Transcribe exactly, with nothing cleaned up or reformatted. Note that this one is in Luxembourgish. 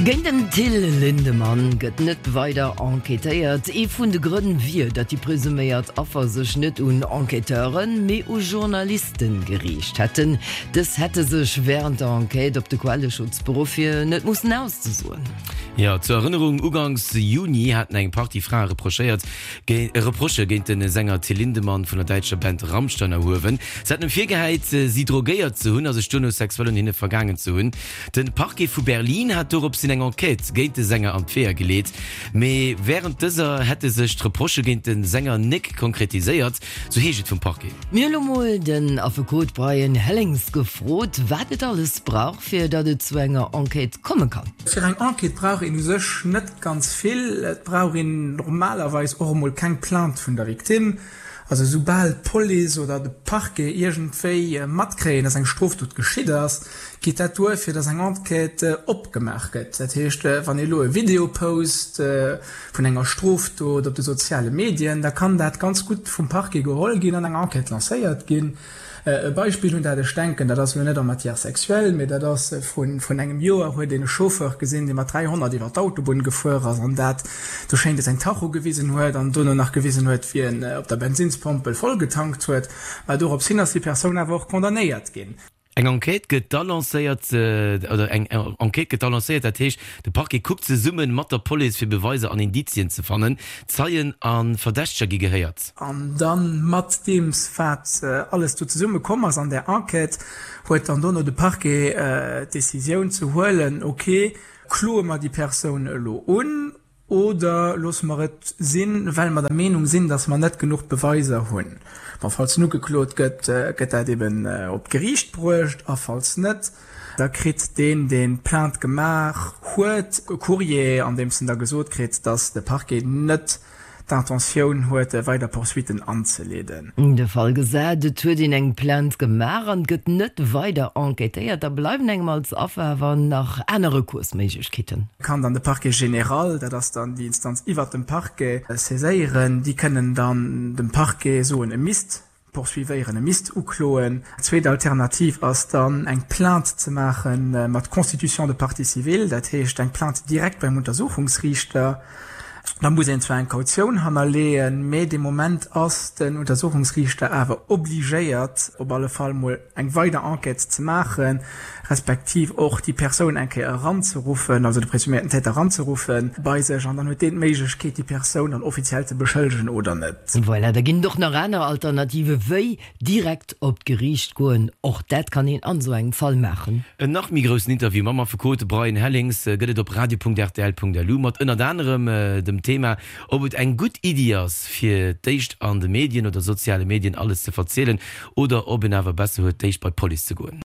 Géint den Till Lindemann gëtt net weider enquêtéiert. Ee vun de Grënn wier, datt déi presuméiert Affer sech net un Enquêteuren, mee u Journalisten geriicht hätten. Dës hätte sech wärend der Enquête op de Quelleschutz beruff, fir net mussen auszesoen. Jo, zur Erënnerung, Uganks Juni haten eng Partie Frae reprochéiert, Reprochë géint de Sänger Till Lindemann vun der däitscher Band Rammstein erhuewen. Se haten em virgehäit, si drogéiert ze hunn a sech duerno sexuell un hinne vergaangen ze hunn. De Parquet vu Berlin hat doropshin eng Enquête géint de Sänger an d'Weeër geleet, mee wärend dëser hätte sech d'Reprochë géint de Sänger nek konkretiséiert, sou heescht et vum Parquet. Mir hu lo mol den Affekot Brian Hellings gefrot, wat et alles brauch, fir datt et zu enger Enquête komme kann. Fir eng Enquête brauch een u sech net ganz vill. Et brauch een normalerweis och emol keng Plainte vun der Victime. Also soubal d'Police oder de Parquet iergendwéi matkréien, dass eng Strofdot geschitt ass, geet dat duer, fir dass eng Enquête opgemaach gëtt. Dat heescht, wann ee elo e Video post vun enger Strofdot op de soziale Medien, da kann dat ganz gutt vum Parquet geholl ginn an eng Enquête lancéiert ginn. E Beispill, un dat ech denken, dat ass elo net en matière sexuelle, mee dat ass vrun engem Joer, huet een e Chauffeur gesinn, dee mat dräihonnert iwwer d'Autobunn gefuer ass an dat do schéint e säin Tacho gewisen huet an dono nach gewisen huet, wéi en op der Bensinnspompel vollgetankt huet. Mä dorops hin ass déi Persoun awer och condamnéiert ginn. Eng Enquête gëtt da lancéiert, oder eng Enquête gëtt da lancéiert, dat heescht, de Parquet kuckt zesumme mat der Police, fir Beweiser an Indizien ze fannen. Zeien a Verdächteger gi gehéiert. An da mat deems, wat alles do zesumme komm ass an där Enquête, huet dann dono de Parquet d'Decisioun ze huelen, ok, kloe mer déi Persoun elo un Oder loosse mer et sinn, well mer der Meenung sinn, datt mer net genuch Beweiser hunn. Bon, falls en ugeklot gëtt, gëtt dat eben op d'Geriicht bruecht, a falls net, da kritt deen, deen d'Plainte gemaach huet, e Courrier, an deems en da gesot kritt, datt de Parquet net d'Intentioun huet, weider Poursuitten anzeleeden. De Fall gesat, et huet een eng Plainte gemaach an et gëtt net weider enquêtéiert, da bleiwen engem als Affer awer nach aner Recoursméiglechkeeten. Kann dann de Parquet général, dat ass dann déi Instanz iwwert dem Parquet, saiséieren. Déi kënnen dann dem Parquet soen, e misst poursuivéieren, e misst ukloen. Zweet Alternativ ass dann, eng Plainte ze maache mat Constitution de partie civile, dat heescht eng Plainte direkt beim Untersuchungsriichter. Da muss een zwar eng Kautioun hannerleeën, mee dee Moment ass den Untersuchungsriichter awer obligéiert, op alle Fall mol eng weider Enquête ze maachen, respektiv och déi Persoun eng Kéier eranzeruffen, also de presuméierten Täter eranzeruffen bei sech, an dann huet deen d'Méiglechkeet, déi Persoun dann offiziell ze beschëllegen oder net. Voilà, da ginn et och nach aner Alternative wéi direkt op d'Geriicht goen. Och dat kann een an esou engem Fall maachen. En nach méi groussen Interview mam Affekot Brian Hellings gëtt et op radio.rtl.lu mat ënnert anerem dem Thema, ob et eng gutt Iddi ass, fir d'éischt an de Medien oder soziale Medien alles ze verzielen oder ob een awer besser huet, d'éischt bei d'Police ze goen.